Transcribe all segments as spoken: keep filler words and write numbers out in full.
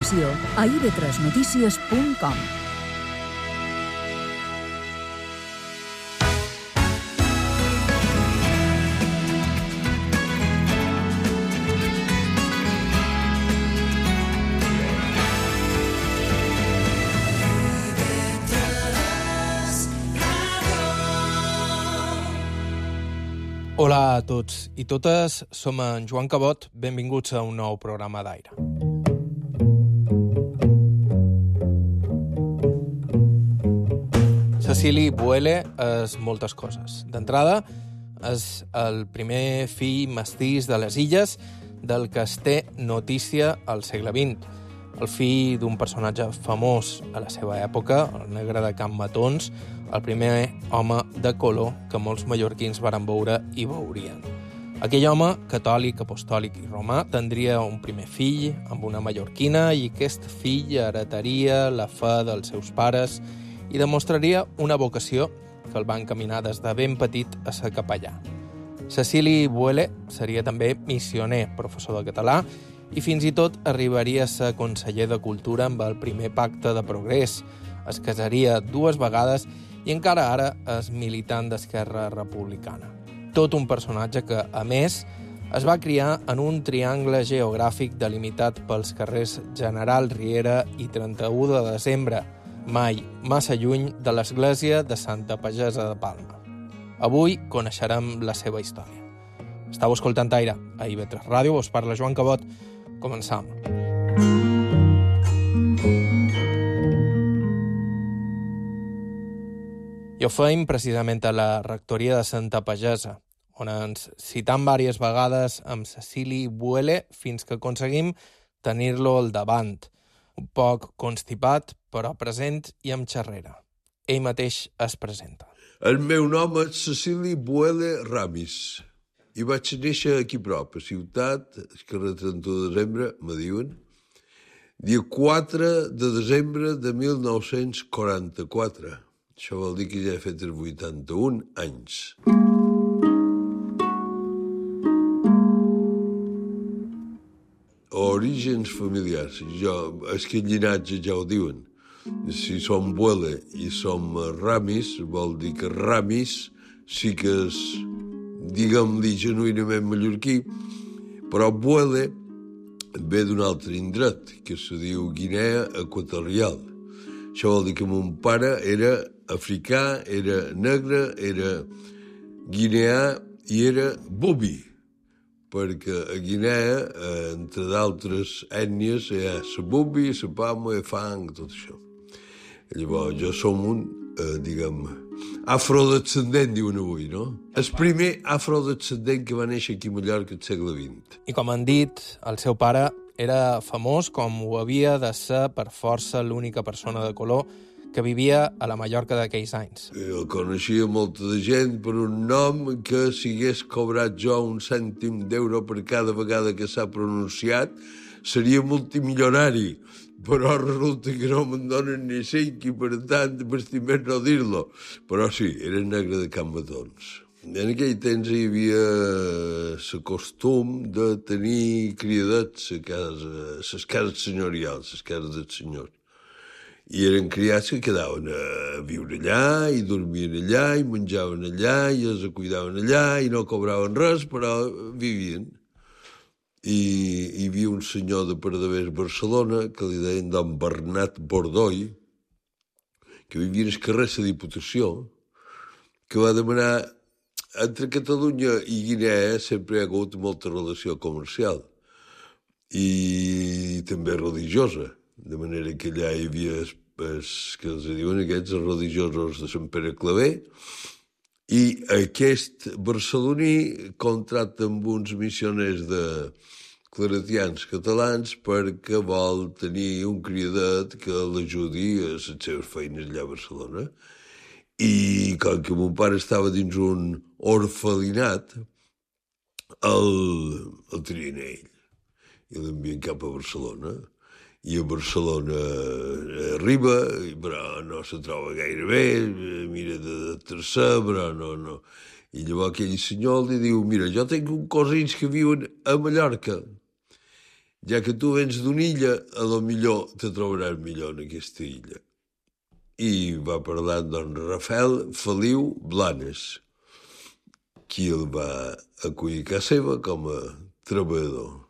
informació a i ve tres notícies punt com. Hola a tots i totes, som en Joan Cabot, benvinguts a un nou programa d'Aire. Cecili Boele és moltes coses. D'entrada, és el primer fill mestís de les Illes del que es té notícia al segle vint. El fill d'un personatge famós a la seva època, el negre de Can Matons, el primer home de color que molts mallorquins varen veure i veurien. Aquell home, catòlic, apostòlic i romà, tindria un primer fill amb una mallorquina i aquest fill heretaria la fe dels seus pares i demostraria una vocació que el va encaminar des de ben petit a ser capellà. Cecili Boele seria també missioner, professor de català, i fins i tot arribaria a ser conseller de Cultura amb el primer pacte de progrés. Es casaria dues vegades i encara ara és militant d'Esquerra Republicana. Tot un personatge que, a més, es va criar en un triangle geogràfic delimitat pels carrers General Riera i trenta-u de desembre, mai massa lluny de l'església de Santa Pagesa de Palma. Avui coneixerem la seva història. Estau escoltant Aire, a i ve tres Ràdio, us parla Joan Cabot. Començam. I ho feim precisament a la rectoria de Santa Pagesa, on ens citam diverses vegades amb Cecili Boele fins que aconseguim tenir-lo al davant, un poc constipat, però present i amb xerrera. Ell mateix es presenta. El meu nom és Cecili Boele Ramis i vaig néixer aquí prop, a Ciutat, el carrer trenta-u de desembre, me diuen, dia quatre de desembre de mil nou-cents quaranta-quatre. Això vol dir que ja he fet els vuitanta-un anys. Orígens familiars. Jo, és que el llinatge ja ho diuen. Si som Boele i som Ramis, vol dir que Ramis sí que és, diguem-li, genuïnament mallorquí, però Boele ve d'un altre indret, que se diu Guinea Equatorial. Això vol dir que mon pare era africà, era negre, era guineà i era bubi, perquè a Guinea, entre d'altres ètnies, hi ha la bubi, la pama, el fang, tot això. Llavors, jo som un, eh, diguem, afrodescendent, diuen avui, no? El primer afrodescendent que va néixer aquí a Mallorca al segle vint. I com han dit, el seu pare era famós com ho havia de ser per força l'única persona de color que vivia a la Mallorca d'aquells anys. Jo coneixia molta de gent per un nom que si hagués cobrat jo un cèntim d'euro per cada vegada que s'ha pronunciat, seria multimilionari. Però resulta que no me'n donen ni cinc i per tant m'estimem no dir-lo. Però sí, era negre de Can Matons. En aquell temps hi havia el costum de tenir criadets a casa, a les cases senyorials, a les cases dels senyors. I eren criats que quedaven a viure allà, i dormien allà, i menjaven allà, i els cuidaven allà, i no cobraven res, però vivien. I hi havia un senyor de Pardavés, Barcelona, que li deien don Bernat Bordoi, que vivia al carrer la Diputació, que va demanar, entre Catalunya i Guinea sempre hi ha hagut molta relació comercial i també religiosa, de manera que allà hi havia els, els que els diuen aquests, els religiosos de Sant Pere Claver, i aquest barceloní contracta amb uns missioners de claretians catalans perquè vol tenir un criadet que l'ajudi a les seves feines allà a Barcelona. I com que mon pare estava dins un orfelinat, el, el trien ell i l'envien cap a Barcelona. I a Barcelona arriba, però no se troba gaire bé, mira de tercer, però no, no. I llavors aquell senyor li diu, mira, jo tinc uns cosins que viuen a Mallorca. ja que tu vens d'una illa, a lo millor te trobaràs millor en aquesta illa. I va parlar amb don Rafael Feliu Blanes, qui el va acollir a casa seva com a treballador.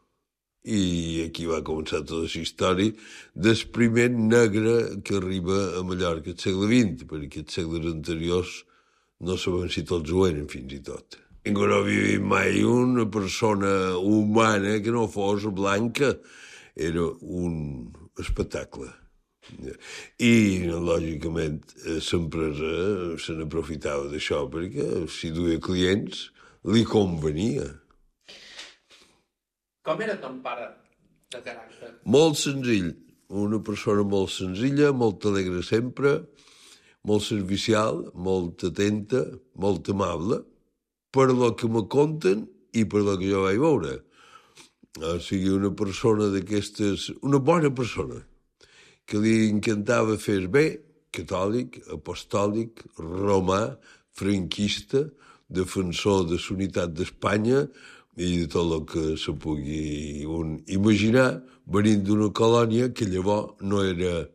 I aquí va començar tota la història del primer negre que arriba a Mallorca al segle vint, perquè els segles anteriors no sabem si tots ho eren, fins i tot. Ningú no havia vist mai una persona humana que no fos blanca. Era un espectacle. I, lògicament, l'empresa se n'aprofitava d'això, perquè si duia clients, li convenia. Com era ton pare de caràcter? Molt senzill. Una persona molt senzilla, molt alegre sempre, molt servicial, molt atenta, molt amable, per lo que me conten i per lo que jo vaig veure. O sigui, una persona d'aquestes... Una bona persona, que li encantava fer bé, catòlic, apostòlic, romà, franquista, defensor de la unitat d'Espanya i de tot el que se pugui un imaginar, venint d'una colònia que llavors no era,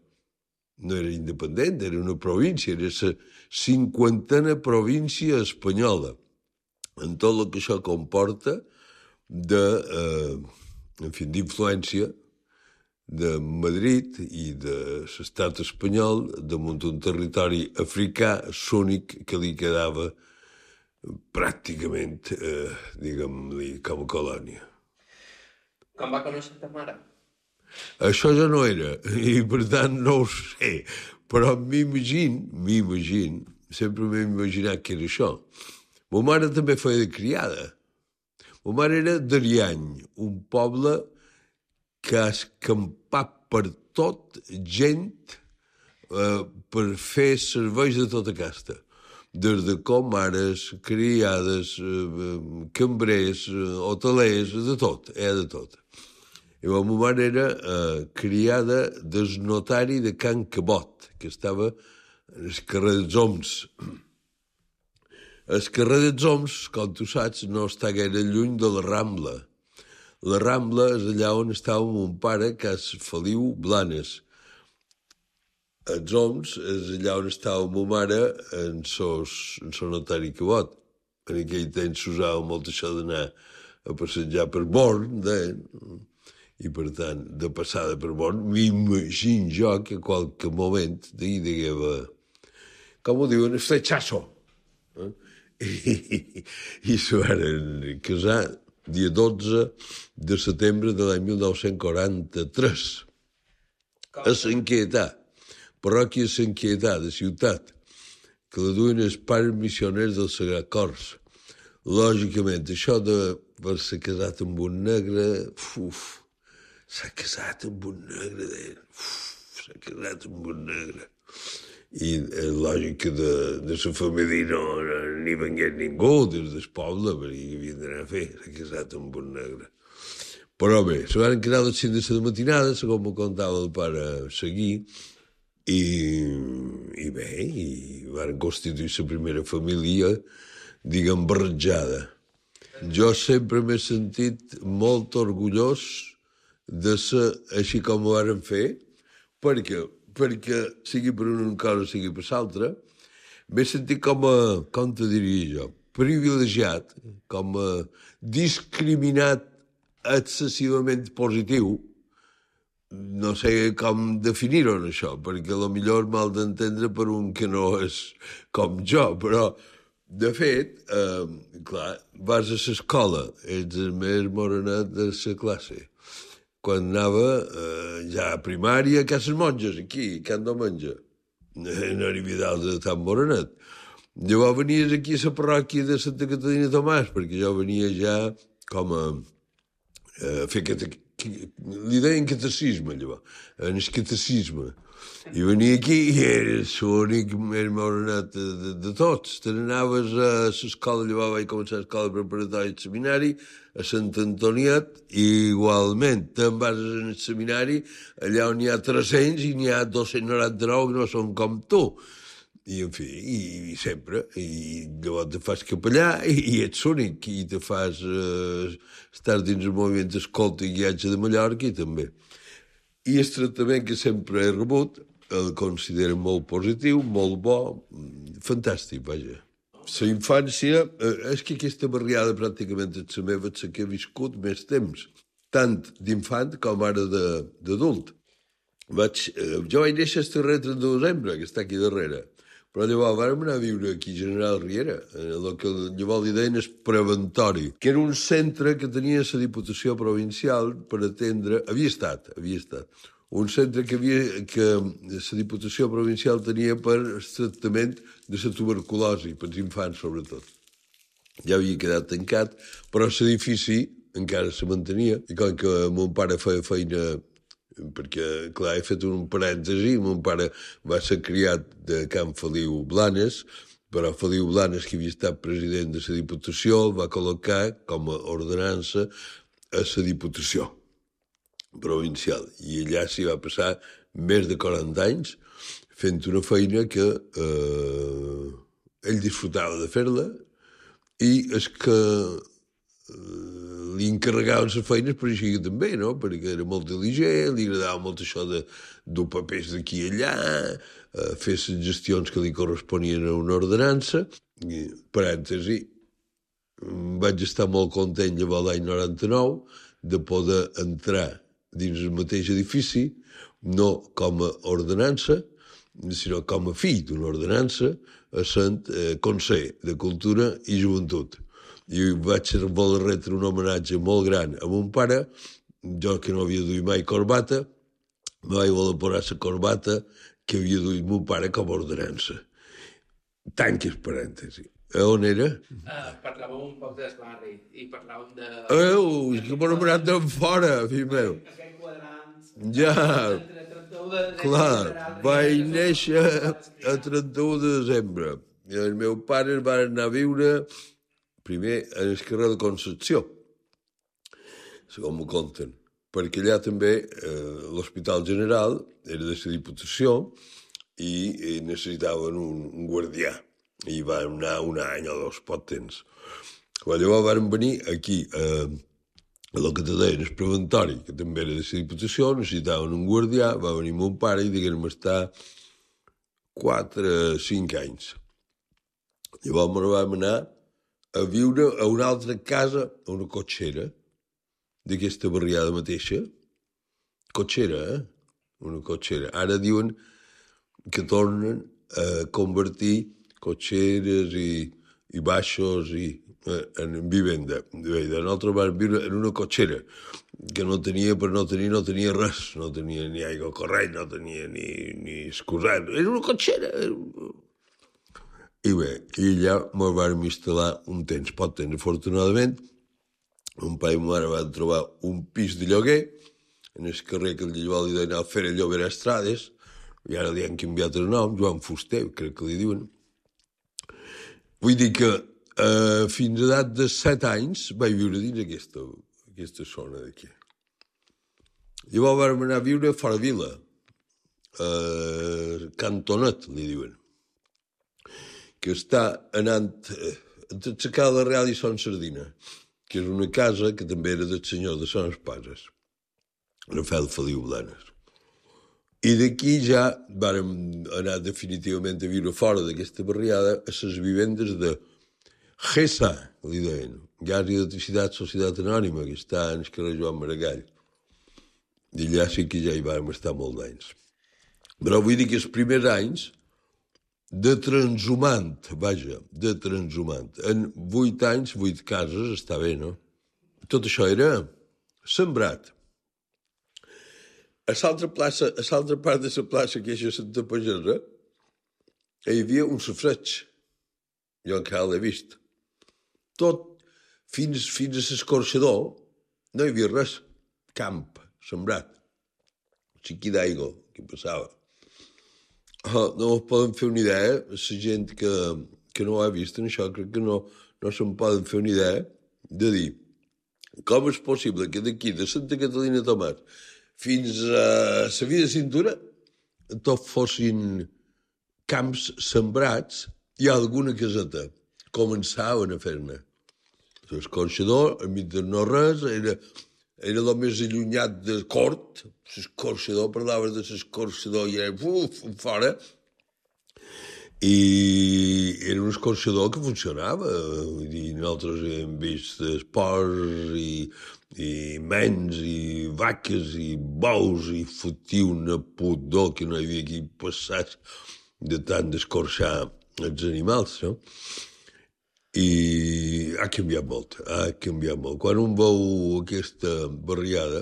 no era independent, era una província, era la cinquantena província espanyola, en tot el que això comporta de, eh, en fi, d'influència de Madrid i de l'estat espanyol damunt un territori africà únic que li quedava pràcticament, eh, diguem-li, com a colònia. Com va conèixer ta mare? Això ja no era, i per tant no ho sé, però m'imagino, m'imagino, sempre m'he imaginat que era això. Ma mare també feia de criada. Ma mare era d'Ariany, un poble que ha escampat per tot gent eh, per fer serveis de tota casta. Des de comares, criades, eh, cambrers, eh, hotelers, de tot, eh, de tot. I la meva mare era eh, criada del notari de Can Cabot, que estava al carrer dels Oms. El carrer dels Oms, com tu saps, no està gaire lluny de la Rambla. La Rambla és allà on estava mon pare, Cas Feliu Blanes. Els Oms és allà on estava ma mare en el notari Cabot. En aquell temps s'usava molt això d'anar a passejar per Born, deien. I, per tant, de passada per Born, m'imagino jo que a qualque moment d'ahir digueva, com ho diuen, el fletxasso. Eh? I, i s'ho van casar dia dotze de setembre de l'any mil nou-cents quaranta-tres. A Sant Quietà, parròquia Sant Quietà, de ciutat, que la duien els pares missioners del Sagrat Cors. Lògicament, això d'haver-se casat amb un negre, uf, s'ha casat amb un negre, deien, uf, s'ha casat amb un negre. I és lògic que de, de la família no, no n'hi vengués ningú des del poble, perquè hi havien d'anar a fer, s'ha casat amb un negre. Però bé, se van quedar les cinc de la matinada, segons me contava el pare Seguí, i, i bé, i van constituir la primera família, diguem, barrejada. Jo sempre m'he sentit molt orgullós de ser així com ho varen fer, perquè perquè sigui per una cosa, sigui per l'altra, m'he sentit com a, com te diria jo, privilegiat, com a discriminat excessivament positiu. No sé com definir-ho, això, perquè a lo millor mal d'entendre per un que no és com jo, però, de fet, eh, clar, vas a l'escola, ets el més morenet de la classe. Quan anava eh, ja a primària, a Cases Monges, aquí, a Can Domenge. No arribi dalt de tan morenet. Llavors venies aquí a la parròquia de Santa Caterina Tomàs, perquè jo venia ja com a, a fer cate... li deien catecisme, llavors, en el catecisme. I venia aquí i eres l'únic més morenet de, de, de tots. Te n'anaves a l'escola, llavors vaig començar a l'escola preparatòria i seminari, a Sant Antoniet, i igualment te'n vas al seminari, allà on hi ha tres-cents i n'hi ha dos-cents noranta-nou que no són com tu. I, en fi, i, i sempre. I llavors te fas capellà i, i ets únic. I te fas eh, estar dins el moviment d'escolta i guiatge de Mallorca i també. I el tractament que sempre he rebut el considero molt positiu, molt bo, fantàstic, vaja. La infància, eh, és que aquesta barriada pràcticament és la meva, és la que he viscut més temps, tant d'infant com ara d'adult. Vaig, eh, jo vaig néixer el darrer trenta de desembre, que està aquí darrere, però llavors vam anar a viure aquí a General Riera, el que llavors li deien el preventori, que era un centre que tenia la Diputació Provincial per atendre, havia estat, havia estat, un centre que, havia, que la Diputació Provincial tenia per el tractament de la tuberculosi, per als infants sobretot. Ja havia quedat tancat, però l'edifici encara se mantenia, i com que mon pare feia feina, perquè, clar, he fet un parèntesi, mon pare va ser criat de Can Feliu Blanes, però Feliu Blanes, que havia estat president de la Diputació, el va col·locar com a ordenança a la Diputació Provincial. I allà s'hi va passar més de quaranta anys fent una feina que eh, ell disfrutava de fer-la i és que eh, li encarregaven les feines per així que també, no? Perquè era molt diligent, li agradava molt això de dur papers d'aquí i allà, eh, fer les gestions que li corresponien a una ordenança. I, parèntesi, vaig estar molt content llavors l'any noranta-nou de poder entrar dins el mateix edifici, no com a ordenança, sinó com a fill d'una ordenança, a Sant eh, Consell de Cultura i Joventut. I vaig voler retre un homenatge molt gran a mon pare, jo que no havia duit mai corbata, me vaig voler posar la corbata que havia duit mon pare com a ordenança. Tanques parèntesi. A on era? Uh, parlàvem un poc del barri i parlàvem de... Oh, és que m'ho anomenat d'en fora, fill meu. Aquell quadrant... Ja, clar, vaig néixer a trenta-u de desembre. I els meus pares van anar a viure primer en el carrer de Concepció, segons m'ho conten, perquè allà també eh, l'Hospital General era de la Diputació i, i necessitaven un, un guardià. I van anar un any o dos, pot temps. Però llavors van venir aquí, eh, a el que te deien, el preventori, que també era de la Diputació, necessitaven un guardià, va venir mon pare i diguem estar quatre, cinc anys. Llavors ens vam anar a viure a una altra casa, a una cotxera, d'aquesta barriada mateixa. Cotxera, eh? Una cotxera. Ara diuen que tornen a convertir cotxeres i, i baixos i, eh, en vivenda. Bé, nosaltres vam viure en una cotxera, que no tenia, per no tenir, no tenia res. No tenia ni aigua corrent, no tenia ni, ni excusat. Era una cotxera. I bé, i allà ens vam instal·lar un temps, pot temps, afortunadament. Un pare i ma mare van trobar un pis de lloguer en el carrer que llavors li deien Alfera Llobera Estrades, i ara li han canviat el nom, Joan Fuster, crec que li diuen. Vull dir que eh, fins a edat de set anys vaig viure dins aquesta, aquesta zona d'aquí. Llavors vam anar a viure fora vila, eh, Cantonet, li diuen, que està anant entre la Cala Real i Son Sardina, que és una casa que també era del senyor de Son Espases, Rafael Feliu Blanes. I d'aquí ja vàrem anar definitivament a viure fora d'aquesta barriada a les vivendes de G E S A, li deien, Gas i Electricitat Societat Anònima, que està en el carrer Joan Maragall. I allà sí que ja hi vàrem estar molts anys. Però vull dir que els primers anys de transhumant, vaja, de transhumant. En vuit anys, vuit cases, està bé, no? Tot això era sembrat. A l'altra plaça, a l'altra part de la plaça, que és a Santa Pagesa, hi havia un sofreig. Jo encara l'he vist. Tot, fins, fins a l'escorxador, no hi havia res. Camp, sembrat. Xiqui d'aigua, que passava. Oh, no es poden fer una idea, la gent que, que no ho ha vist en això, crec que no, no se'n poden fer una idea de dir com és possible que d'aquí, de Santa Catalina Tomat, fins a la vida de cintura, tot fossin camps sembrats i alguna caseta. Començaven a fer-ne. L'escorxador, enmig de no res, era, era el més allunyat de cort. L'escorxador, parlaves de l'escorxador i era uf, fora. I era un escorxador que funcionava. Vull dir, nosaltres hem vist esports i, i mens i vaques i bous i fotia una pudor que no hi havia qui passés de tant d'escorxar els animals, no? I ha canviat molt, ha canviat molt. Quan un veu aquesta barriada,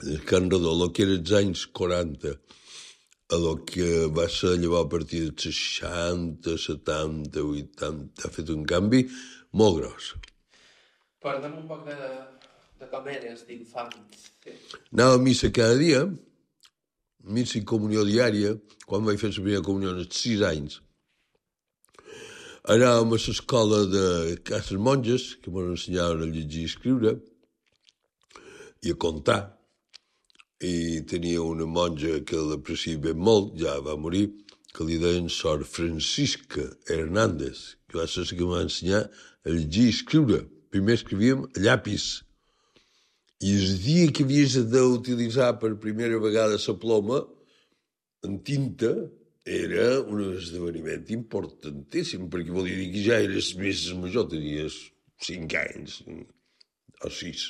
el Can Redó, el que era els anys quaranta, a lo que va ser llavors a partir dels seixanta, setanta, vuitanta, ha fet un canvi molt gros. Parlem un poc de, de com eres d'infant. Sí. Anava a missa cada dia, missa i comunió diària, quan vaig fer la primera comunió als sis anys. Anàvem a l'escola de Cases Monges, que ens ensenyaven a llegir i escriure, i a comptar. I tenia una monja que l'apreciava molt, ja va morir, que li deien Sor Francisca Hernández, que va ser la que em va ensenyar a llegir i escriure. Primer escrivíem a llapis. I el dia que havies d'utilitzar per primera vegada la ploma en tinta era un esdeveniment importantíssim, perquè volia dir que ja eres més major, tenies cinc anys o sis.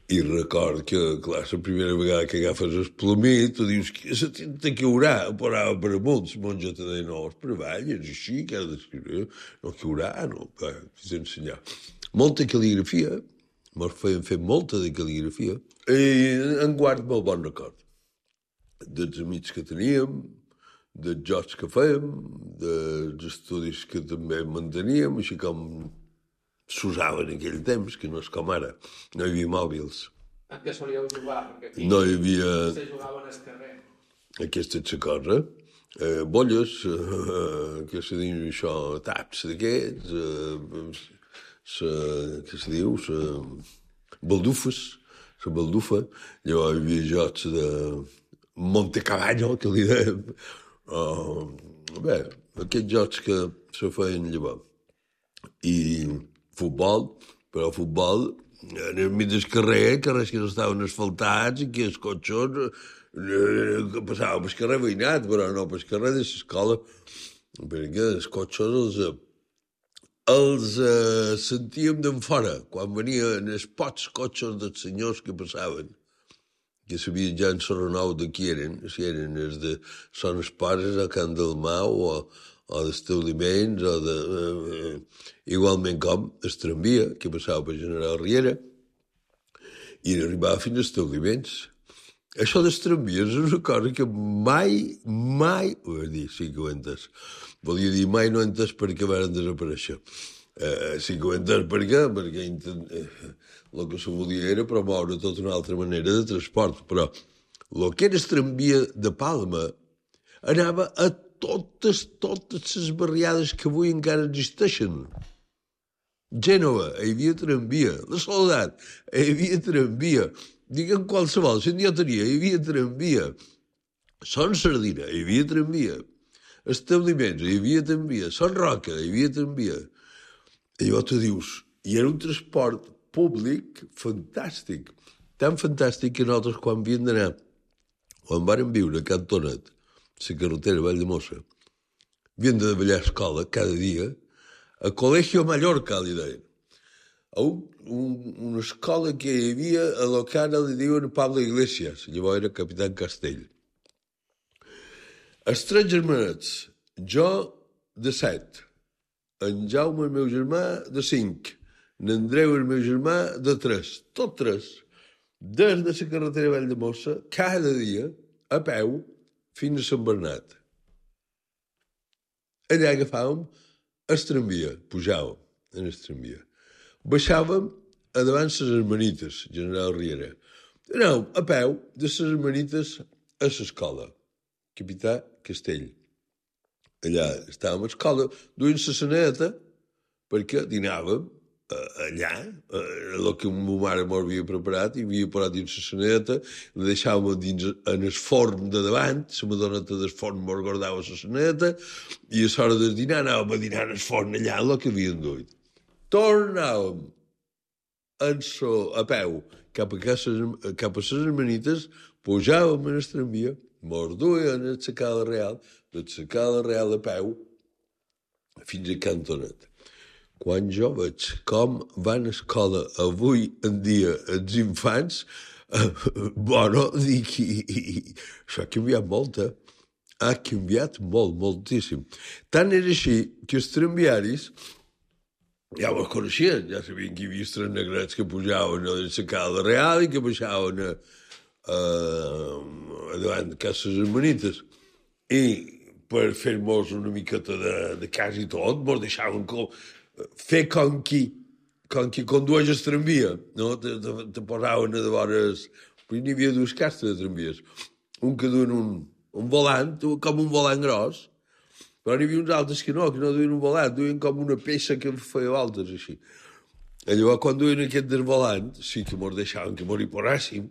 I record que, clar, la primera vegada que agafes el plomí, tu dius que la tinta caurà, parava per amunt, la monja te deia, no, és per avall, és així, que has d'escriure, no caurà, no, va, t'he d'ensenyar. Molta cal·ligrafia, ens feien fer molta de cal·ligrafia, i en guard molt bon record dels amics que teníem, dels jocs que fèiem, dels estudis que també manteníem, així com s'usava en aquell temps, que no és com ara. No hi havia mòbils. En què solíeu jugar? Aquí No hi havia... Se jugaven al carrer. Aquesta és la cosa. Eh, bolles, eh, què se diu això, taps d'aquests, eh, sa, què se diu, sa, baldufes, la baldufa. Llavors hi havia jocs de Montecavallo, que li deien. Uh, bé, aquests jocs que se feien llavors. I futbol, però futbol en el mig del carrer, carrers que no estaven asfaltats i que els cotxos eh, passaven pel carrer veïnat, però no pel carrer de l'escola, perquè els cotxos els, els eh, sentíem d'en fora, quan venien els pocs cotxos dels senyors que passaven, que sabien ja en Sorrenou de qui eren, si eren els de Son Espases a Can Dalmau o, o d'establiments, o de, eh, igualment com el tramvia, que passava per General Riera, i arribava fins als establiments. Això dels tramvies és una cosa que mai, mai, ho vaig dir, sí que ho he entès, volia dir mai no he entès per què van desaparèixer. Eh, sí que ho he entès per què, perquè intent, eh, el que se volia era promoure tota una altra manera de transport, però el que era el tramvia de Palma anava a totes, totes les barriades que avui encara existeixen. Gènova, hi havia tramvia. La Soledat, hi havia tramvia. Digue'm qualsevol, si jo tenia, hi havia tramvia. Son Sardina, hi havia tramvia. Establiments, hi havia tramvia. Son Roca, hi havia tramvia. I llavors tu dius, i era un transport públic fantàstic. Tan fantàstic que nosaltres quan havíem d'anar, quan vàrem viure a Can Tonet, la carretera Valldemossa, havíem de davallar a escola cada dia, a Colegio Mallorca, li deien. A un, un, una escola que hi havia a lo que ara li diuen Pablo Iglesias, llavors era Capitán Castell. Els tres germanets, jo de set, en Jaume, el meu germà, de cinc, n'Andreu, el meu germà, de tres, tot tres, des de la carretera Valldemossa, cada dia, a peu, fins a Sant Bernat. Allà agafàvem el tramvia, pujàvem en el tramvia. Baixàvem a davant les Hermanites, General Riera. Anàvem a peu de les Hermanites a l'escola, Capità Castell. Allà estàvem a l'escola, duint la saneta, perquè dinàvem, allà, el que ma mare m'havia preparat, i havia posat dins la saneta, la deixàvem dins en el forn de davant, la madoneta del forn mos guardava la saneta, i a l'hora del dinar anàvem a dinar en el forn allà, el que havien duit. Tornàvem en so, a peu cap a, cases, cap a les hermanites, pujàvem en el tramvia, mos duien a la Cala Real, de la Cala Real a peu, fins a Cantonet. Quan jo veig com van a escola avui en dia els infants, eh, bueno, dic, i, i, i, això ha canviat molt, eh? Ha canviat molt, moltíssim. Tant era així que els tramviaris ja ho coneixien, ja sabien que hi havia tres negrets que pujaven a la Cala Real i que baixaven a, a, a davant de cases hermanites. I per fer-nos una miqueta de, de cas i tot, mos deixaven com, fer com qui, com qui condueix el tramvia, no? Te, te, te posaven a de vores... Però n'hi havia dues castes de tramvies. Un que duien un, un volant, com un volant gros, però n'hi havia uns altres que no, que no duien un volant, duien com una peça que feia voltes, així. I llavors, quan duien aquest del volant, sí que mos deixaven que mos hi posàssim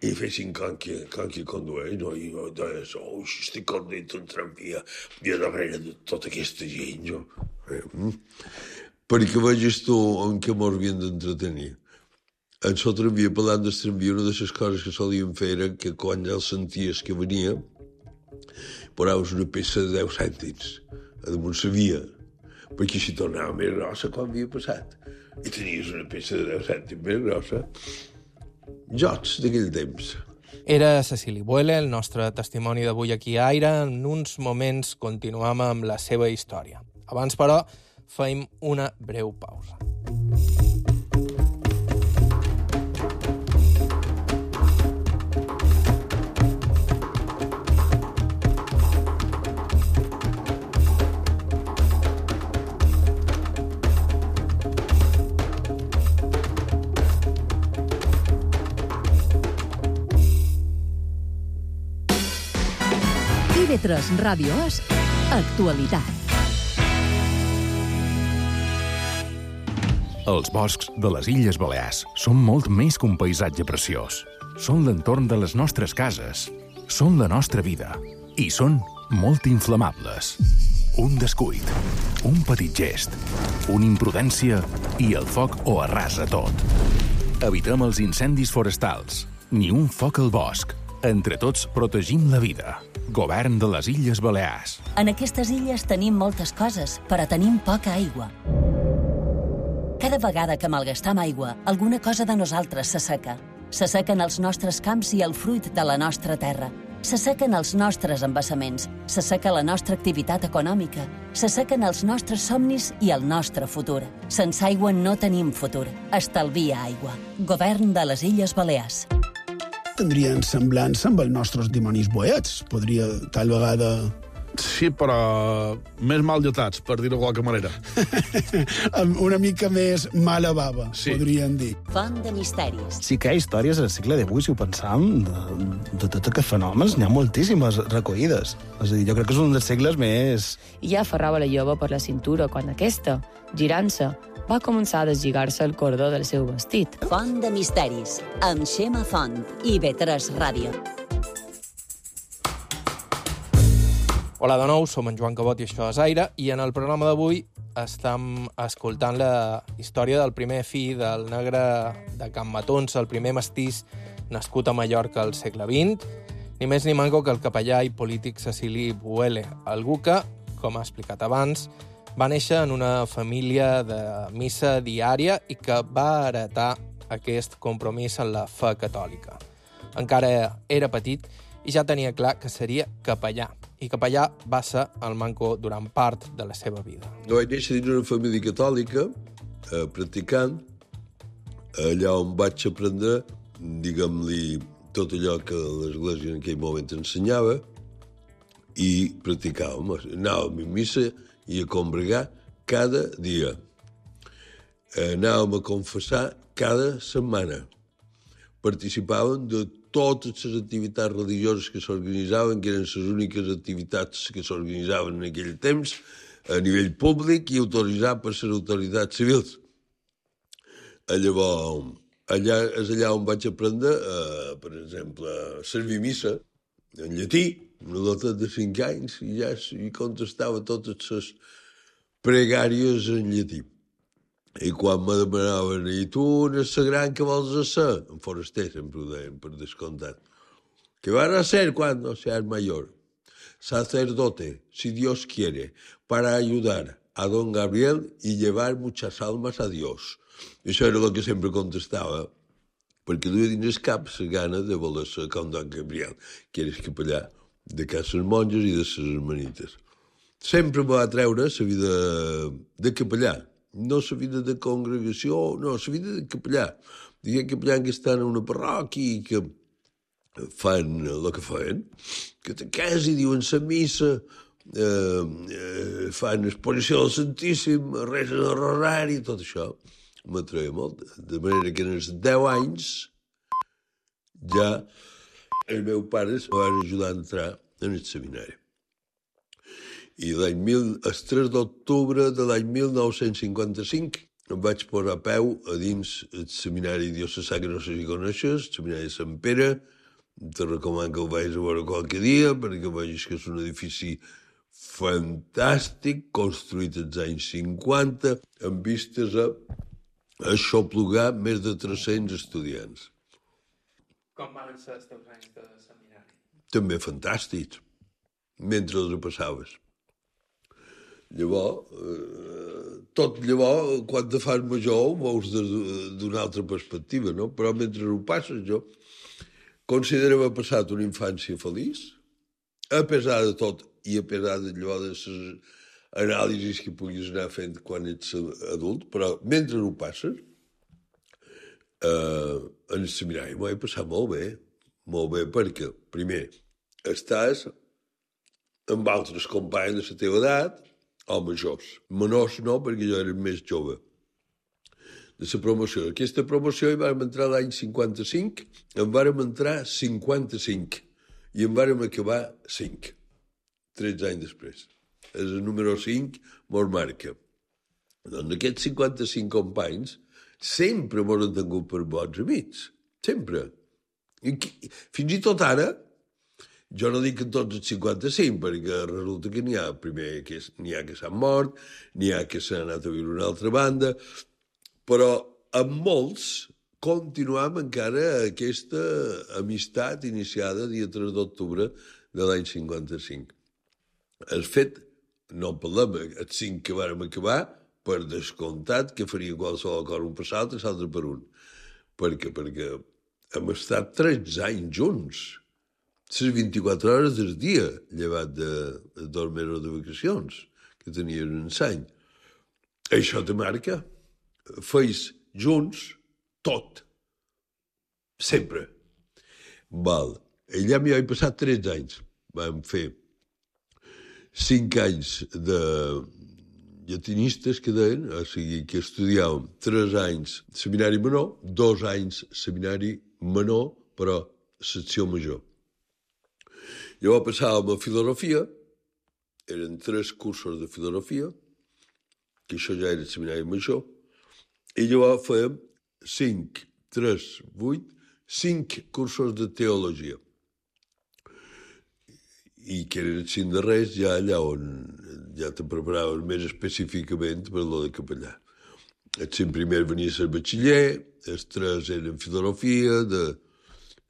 i fessin com que, com que condueix, no? I jo deies, oh, si estic conduint un tramvia, i a darrere de tota aquesta gent, jo... Eh, mm. Perquè vegis tu en què mos havien d'entretenir. En el tramvia, parlant del tramvia, una de les coses que solíem fer era que quan ja el senties que venia, posaves una peça de deu cèntims a damunt la via, perquè si tornava més grossa quan havia passat. I tenies una peça de deu cèntims més grossa. Jocs d'aquell temps. Era Cecili Buele, el nostre testimoni d'avui aquí a Aire. En uns moments continuam amb la seva història. Abans, però, fem una breu pausa. I V tres Ràdio As, actualitat. Els boscs de les Illes Balears són molt més que un paisatge preciós. Són l'entorn de les nostres cases, són la nostra vida i són molt inflamables. Un descuit, un petit gest, una imprudència i el foc ho arrasa tot. Evitem els incendis forestals, ni un foc al bosc. Entre tots protegim la vida. Govern de les Illes Balears. En aquestes illes tenim moltes coses, però tenim poca aigua. Cada vegada que malgastam aigua, alguna cosa de nosaltres s'asseca. S'assequen els nostres camps i el fruit de la nostra terra. S'assequen els nostres embassaments. S'asseca la nostra activitat econòmica. S'assequen els nostres somnis i el nostre futur. Sense aigua no tenim futur. Estalvia aigua. Govern de les Illes Balears. Tindrien semblança amb els nostres dimonis boets. Podria, tal vegada... Sí, però més mal dotats, per dir-ho de qualque manera. Amb una mica més mala bava, sí. Podríem dir. Font de misteris. Sí que hi ha històries al segle divuit, si ho pensam, de, de tots aquests fenòmens. N'hi ha moltíssimes recollides. És a dir, jo crec que és un dels segles més... I ja aferrava la jove per la cintura quan aquesta, girant-se, va començar a deslligar-se el cordó del seu vestit. Font de misteris, amb Xema Font, I V tres Ràdio. Hola de nou, som en Joan Cabot i això és Aire, i en el programa d'avui estem escoltant la història del primer fill del negre de Can Matons, el primer mestís nascut a Mallorca al segle vint, ni més ni manco que el capellà i polític Cecili Buele, algú que, com ha explicat abans, va néixer en una família de missa diària i que va heretar aquest compromís en la fe catòlica. Encara era petit i ja tenia clar que seria capellà, i capellà va ser el manco durant part de la seva vida. No vaig néixer dins una família catòlica, eh, practicant, allà on vaig aprendre, diguem-li, tot allò que l'Església en aquell moment ensenyava, i practicàvem. Anàvem a missa i a combregar cada dia. Anàvem a confessar cada setmana. Participàvem de totes les activitats religioses que s'organitzaven, que eren les úniques activitats que s'organitzaven en aquell temps, a nivell públic i autoritzat per les autoritats civils. Llavors, allà és allà on vaig aprendre, eh, per exemple, a servir missa en llatí, una dota de cinc anys, i ja hi contestava totes les pregàries en llatí. I quan me demanaven, i tu n'és la gran que vols ser? En foraster sempre ho deien, per descomptat. ¿Qué van a hacer cuando seas mayor? Sacerdote, si Dios quiere, para ayudar a don Gabriel y llevar muchas almas a Dios. I això era el que sempre contestava, perquè duia dins el cap la gana de voler ser com don Gabriel, que era capellà de cases monges i de les hermanites. Sempre me va treure la vida de capellà, no la vida de congregació, no, la vida de capellà. Diguem capellà que estan en una parròquia i que fan el que fan, que te quasi diuen la missa, eh, eh, fan exposició del Santíssim, resen el rosari, tot això m'atreia molt. De manera que en els deu anys ja els meus pares em van ajudar a entrar en el seminari. I l'any mil, el tres d'octubre de l'any mil nou-cents cinquanta-cinc em vaig posar a peu a dins el seminari diocesà, que no sé si coneixes, el seminari de Sant Pere. Te recomano que ho vagis a veure qualque dia, perquè vegis que és un edifici fantàstic, construït als anys cinquanta, amb vistes a aixoplugar més de tres-cents estudiants. Com van ser els teus anys de seminari? També fantàstics, mentre els passaves. Llavors, eh, tot llavors, quan te fas major, ho veus d'una altra perspectiva, no? Però mentre ho passes, jo considero haver passat una infància feliç, a pesar de tot i a pesar de allò de les anàlisis que puguis anar fent quan ets adult, però mentre ho passes, eh, en el seminari m'ho he passat molt bé, molt bé perquè, primer, estàs amb altres companys de la teva edat, o majors. Menors no, perquè jo era més jove. De la promoció. Aquesta promoció hi vam entrar l'any cinquanta-cinc, en vàrem entrar cinquanta-cinc i en vàrem acabar cinc, tretze anys després. És el número cinc, mos marca. Doncs aquests cinquanta-cinc companys sempre mos han tingut per bons amics, sempre. I fins i tot ara, jo no dic que tots els cinquanta-cinc, perquè resulta que n'hi ha, primer, que n'hi ha que s'han mort, n'hi ha que s'han anat a viure a una altra banda, però amb molts continuam encara aquesta amistat iniciada dia tres d'octubre de l'any cinquanta-cinc. El fet, no en parlem, els cinc que vàrem acabar, per descomptat que faria qualsevol cosa un per l'altre i l'altre per un. Per què? Perquè hem estat tretze anys junts, les vint-i-quatre hores del dia, llevat de dos mesos de vacacions, que tenien un any. Això te marca. Feis junts tot. Sempre. Val. Allà m'hi vaig passar tretze anys. Vam fer cinc anys de llatinistes, que deien, o sigui, que estudiàvem tres anys seminari menor, dos anys seminari menor, però secció major. Llavors passàvem a filosofia, eren tres cursos de filosofia, que això ja era seminari major, i llavors fèiem cinc, tres, vuit, cinc cursos de teologia. I que eren els cinc darrers ja allà on ja te preparaven més específicament per lo de capellà. Els cinc primers venia a ser batxiller, els tres eren filosofia, de,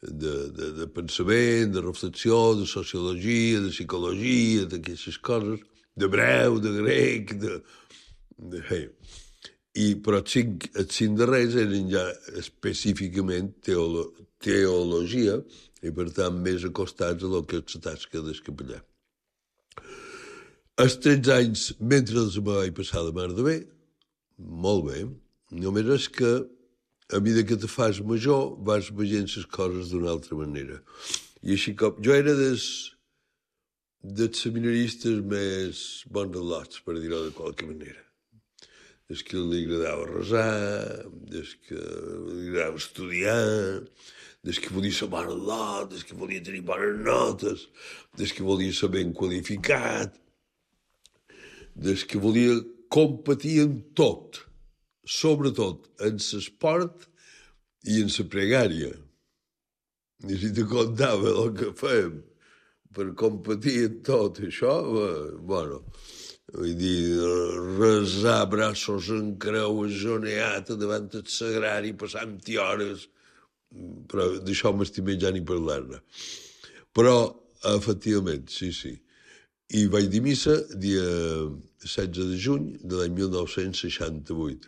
de, de, de pensament, de reflexió, de sociologia, de psicologia, d'aquestes coses, d'hebreu, de grec, de... de hey. I, però els cinc, els cinc darrers eren ja específicament teolo, teologia i, per tant, més acostats a lo que és la tasca del capellà. Els tretze anys, mentre els me vaig passar de mar de bé, molt bé, només és que a mesura que te fas major vas veient les coses d'una altra manera. I així com... Jo era dels, dels seminaristes més bons al·lots, per dir-ho de qualque manera. Des que li agradava resar, des que li agradava estudiar, des que volia ser bon al·lot, des que volia tenir bones notes, des que volia ser ben qualificat, des que volia competir en tot. sobretot en l'esport i en la pregària. I si te contava el que fèiem per competir en tot això, bueno, vull dir, resar braços en creu, ajoneat davant el sagrari, passant-hi hores, però d'això m'estimé ja ni parlar-ne. Però, efectivament, sí, sí. I vaig dir missa dia setze de juny de l'any mil nou-cents seixanta-vuit.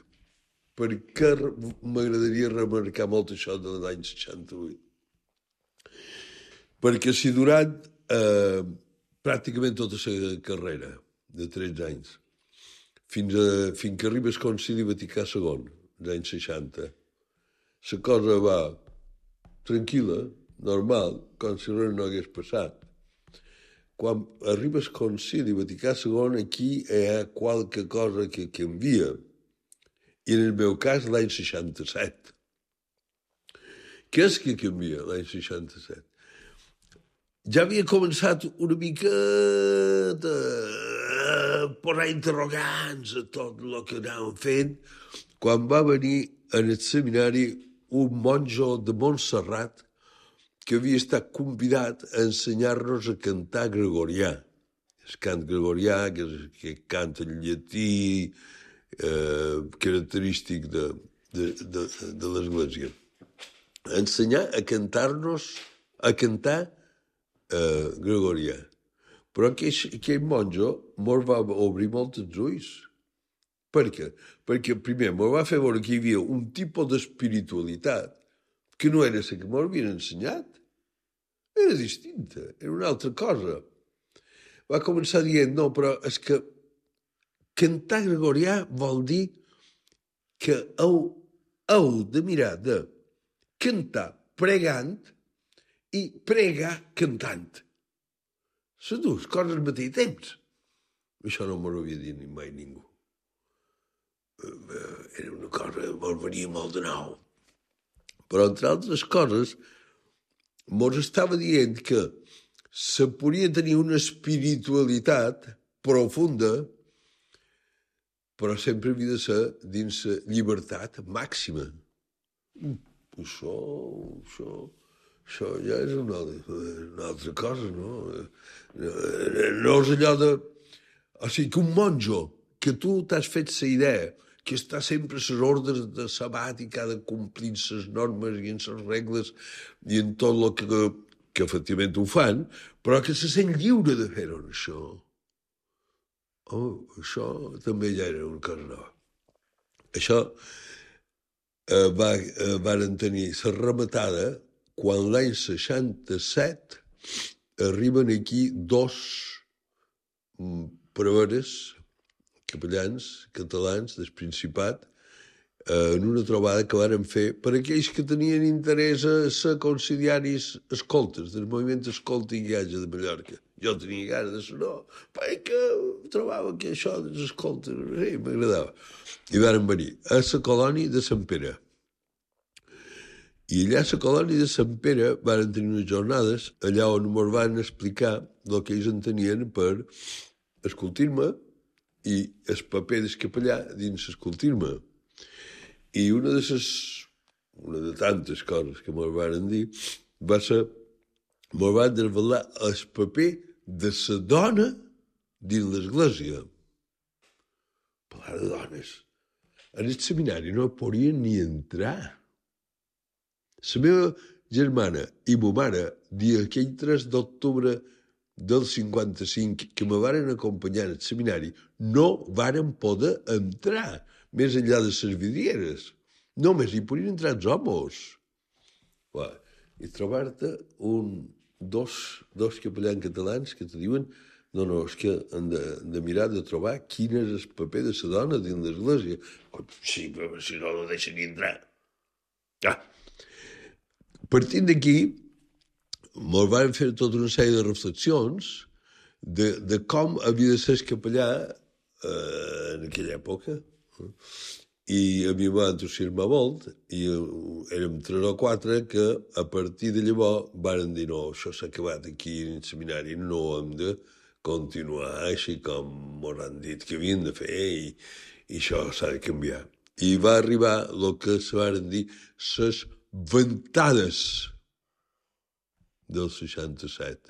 Per què m'agradaria remarcar molt això de l'any seixanta-vuit? Perquè si durant eh, pràcticament tota la carrera de tretze anys, fins, a, fins que arriba el Concili Vaticà segon, als anys seixanta, la cosa va tranquil·la, normal, com si res no hagués passat. Quan arriba el Concili Vaticà segon, aquí hi ha qualque cosa que canvia. I en el meu cas, l'any seixanta-set. Què és que canvia l'any seixanta-set? Ja havia començat una mica a posar interrogants a tot el que anàvem fent quan va venir en el seminari un monjo de Montserrat que havia estat convidat a ensenyar-nos a cantar gregorià. El cant gregorià, que és que canta en llatí, eh, característic de, de, de, de l'Església. A ensenyar a cantar-nos, a cantar eh, gregorià. Però aquell, aquell monjo mos va obrir molt els ulls. Per què? Perquè primer mos va fer veure que hi havia un tipus d'espiritualitat que no era la que mos havien ensenyat. Era distinta, era una altra cosa. Va començar dient, no, però és que cantar gregorià vol dir que heu, heu de mirar de cantar pregant i pregar cantant. Les dues coses al mateix temps. Això no m'ho havia dit mai ningú. Era una cosa que mos venia molt de nou. Però, entre altres coses, mos estava dient que se podia tenir una espiritualitat profunda, però sempre havia de ser dins la llibertat màxima. Això, això, això ja és una, una altra cosa, no? No és allò de... O sigui, que un monjo, que tu t'has fet la idea que està sempre a les ordres de sabat i que ha de complir les normes i en les regles i en tot el que, que efectivament ho fan, però que se sent lliure de fer-ho, això. Oh, això també ja era una cosa nova. Això eh, va, eh, van tenir la rematada quan l'any seixanta-set arriben aquí dos preveres capellans catalans del Principat en una trobada que varen fer per aquells que tenien interès a ser conciliaris escoltes, del moviment escolta i guiatge de Mallorca. Jo tenia ganes de ser, no, perquè trobava que això dels escoltes, sí, m'agradava. I varen venir a la colònia de Sant Pere. I allà a la colònia de Sant Pere varen tenir unes jornades allà on ens van explicar el que ells entenien per escoltir-me i el paper del capellà dins escoltir-me. I una de les, una de tantes coses que me'l van dir va ser, me'l van desvelar el paper de la dona dins l'església. Parlar de dones. En el seminari no podien ni entrar. La meva germana i ma mare, dia aquell tres d'octubre del cinquanta-cinc, que me varen acompanyar al seminari, no varen poder entrar més enllà de les vidrieres. Només hi podien entrar els homes. Bueno, i trobar-te un, dos, dos capellans catalans que te diuen no, no, és que han de, de mirar de trobar quin és el paper de la dona dins l'església. Sí, però si no, no deixen ni entrar. Ah. Partint d'aquí, ens van fer tota una sèrie de reflexions de, de com havia de ser el capellà eh, en aquella època. I a mi va entusiasmar molt, i érem tres o quatre que a partir de llavors van dir no, això s'ha acabat aquí en el seminari, no hem de continuar així com ens han dit que havien de fer i, i això s'ha de canviar. I va arribar el que se van dir les ventades del seixanta-set.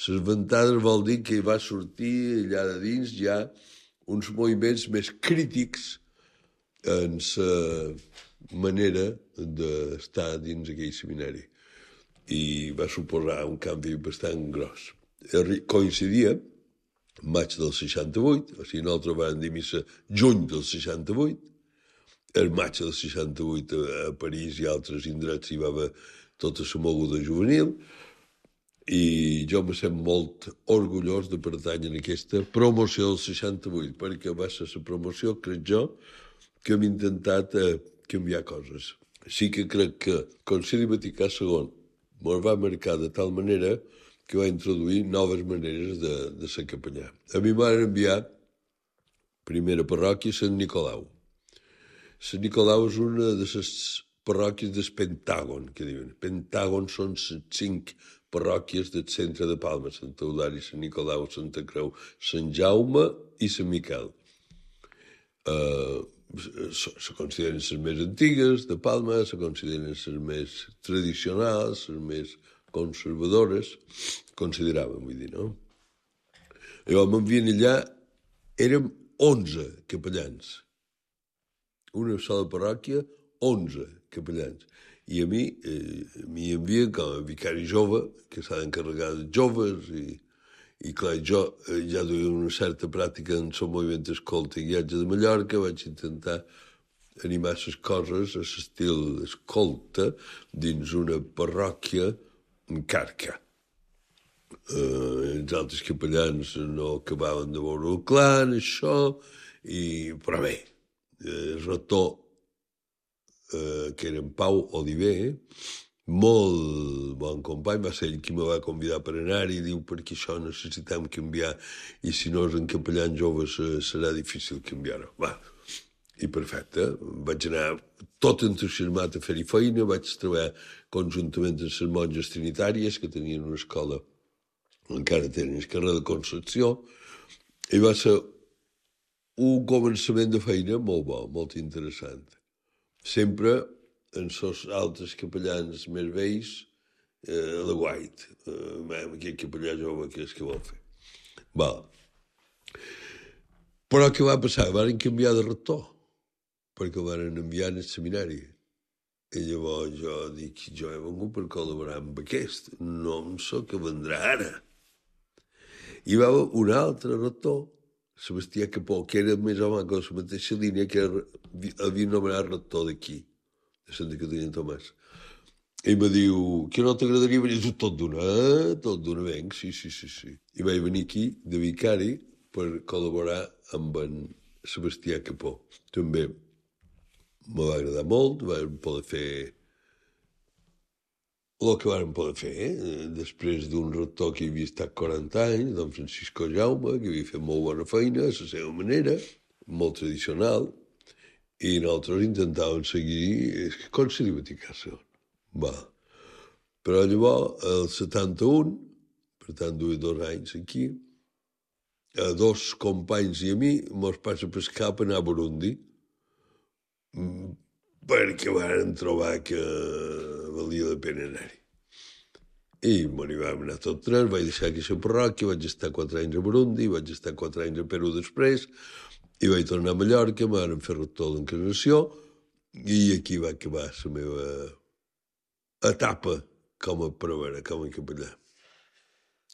Les ventades vol dir que va sortir allà de dins ja uns moviments més crítics en la manera d'estar dins aquell seminari. I va suposar un canvi bastant gros. Coincidia maig del seixanta-vuit, o sigui, nosaltres vam dir missa juny del seixanta-vuit, el maig del seixanta-vuit a París i altres indrets hi va haver tota la moguda juvenil, i jo me sent molt orgullós de pertànyer a aquesta promoció del seixanta-vuit, perquè va ser la promoció, crec jo, que hem intentat eh, canviar coses. Sí que crec que el Concili Vaticà segon ens va marcar de tal manera que va introduir noves maneres de, de ser capellà. A mi m'han enviat primera parròquia Sant Nicolau. Sant Nicolau és una de les parròquies del Pentàgon, que diuen. Pentàgon són les cinc parròquies del centre de Palma, Sant Eudali, Sant Nicolau, Santa Creu, Sant Jaume i Sant Miquel. Uh, se consideren les més antigues de Palma, se consideren les més tradicionals, les més conservadores, consideràvem, vull dir, no? Llavors m'envien allà, érem onze capellans. Una sola parròquia, onze capellans. I a mi eh, m'hi envien com a vicari jove, que s'ha d'encarregar de joves, i, i clar, jo eh, ja duia una certa pràctica en el moviment escolta i guiatge de Mallorca, vaig intentar animar les coses a l'estil escolta dins una parròquia en Carca. Eh, els altres capellans no acabaven de veure el clar en això, i, però bé, el rector, eh, que era en Pau Oliver, molt bon company, va ser ell qui me va convidar per anar-hi, i diu, perquè això necessitem canviar, i si no és en capellans joves serà difícil canviar-ho. Va, i perfecte, vaig anar tot entusiasmat a fer-hi feina, vaig treballar conjuntament amb les monges trinitàries, que tenien una escola, encara tenen el carrer de Concepció, i va ser un començament de feina molt bo, molt interessant. Sempre en els altres capellans més vells, eh, a la guait, eh, aquest capellà jove que és que vol fer. Va. Però què va passar? Van canviar de rector, perquè el van enviar al seminari. I llavors jo dic, jo he vengut per col·laborar amb aquest, no em so que vendrà ara. Hi va haver un altre rector, Sebastià Capó, que era més o menys la mateixa línia que havia nomenat rector d'aquí, de Santa Caterina Tomàs. I me diu, que no t'agradaria venir? I tot d'una, eh? Tot d'una venc, sí, sí, sí, sí. I vaig venir aquí de vicari per col·laborar amb en Sebastià Capó. També me va agradar molt, vam poder fer el que vam poder fer, eh? Després d'un rector que havia estat quaranta anys, don Francisco Jaume, que havia fet molt bona feina, a la seva manera, molt tradicional, i nosaltres intentàvem seguir el Concili Vaticà segon. Va. Però llavors, el setanta-un, per tant, duia dos anys aquí, a dos companys i a mi mos passa per cap a anar a Burundi, perquè van trobar que valia la pena anar-hi. I bon, hi vam anar tot tres, vaig deixar aquesta parròquia, vaig estar quatre anys a Burundi, vaig estar quatre anys a Perú després, i vaig tornar a Mallorca, em van fer rector d'Encarnació, i aquí va acabar la meva etapa com a prevera, com a capellà.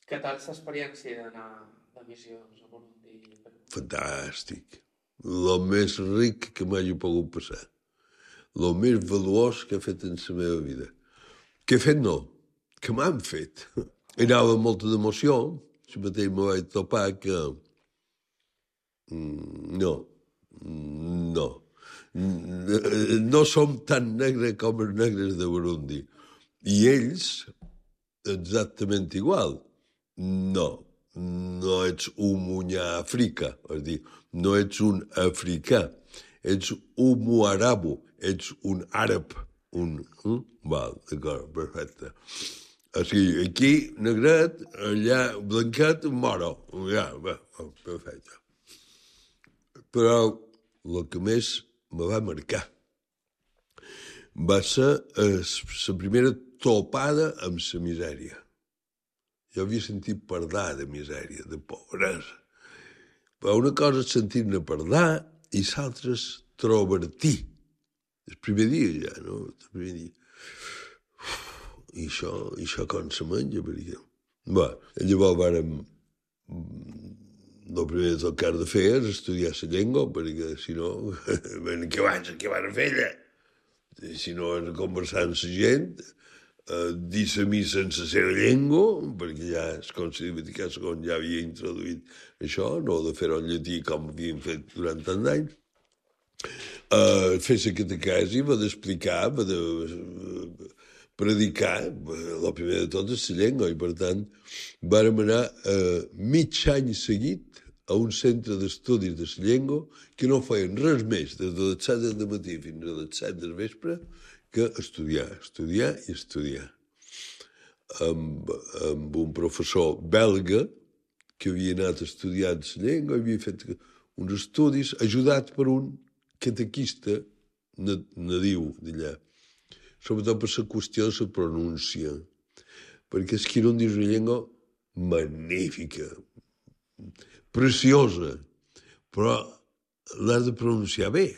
Què tal l'experiència d'anar de missions a Burundi? Fantàstic. El més ric que m'hagi pogut passar. El més valuós que he fet en la meva vida. Que he fet no, que m'han fet. I anava amb molta d'emoció. Si mateix me vaig topar que... No, no. No som tan negres com els negres de Burundi. I ells, exactament igual. No, no ets un munyà africà, és dir, no ets un africà, ets un muarabo, ets un àrab, un... Mm? Val, d'acord, perfecte. O sigui, aquí, negret, allà, blanquet, moro. Ja, bé, perfecte. Però el que més me va marcar. Va ser la primera topada amb la misèria. Jo havia sentit parlar de misèria, de pobresa. Però una cosa és sentir-ne parlar i l'altra és trobar-t'hi. El primer dia ja, no? El primer dia. Uf, I això, i això com se menja, perquè... Bé, llavors vàrem... El primer del que has de fer és estudiar la llengua, perquè si no... què van, què van a fer allà? Si no és conversar amb la gent, eh, dir la missa en la seva llengua, perquè ja el Concili Vaticà segon ja havia introduït això, no de fer-ho en llatí com havien fet durant tant d'anys. Uh, fer la catequesi, va d'explicar, va de predicar, el primer de tot és la llengua, i per tant vàrem anar uh, mig any seguit a un centre d'estudis de la llengua que no feien res més, des de les set del matí fins a les set del vespre, que estudiar, estudiar i estudiar. Amb, amb un professor belga que havia anat estudiant la llengua, havia fet uns estudis ajudat per un catequista nadiu d'allà, sobretot per la qüestió de la pronúncia, perquè és que era una llengua magnífica, preciosa, però l'has de pronunciar bé,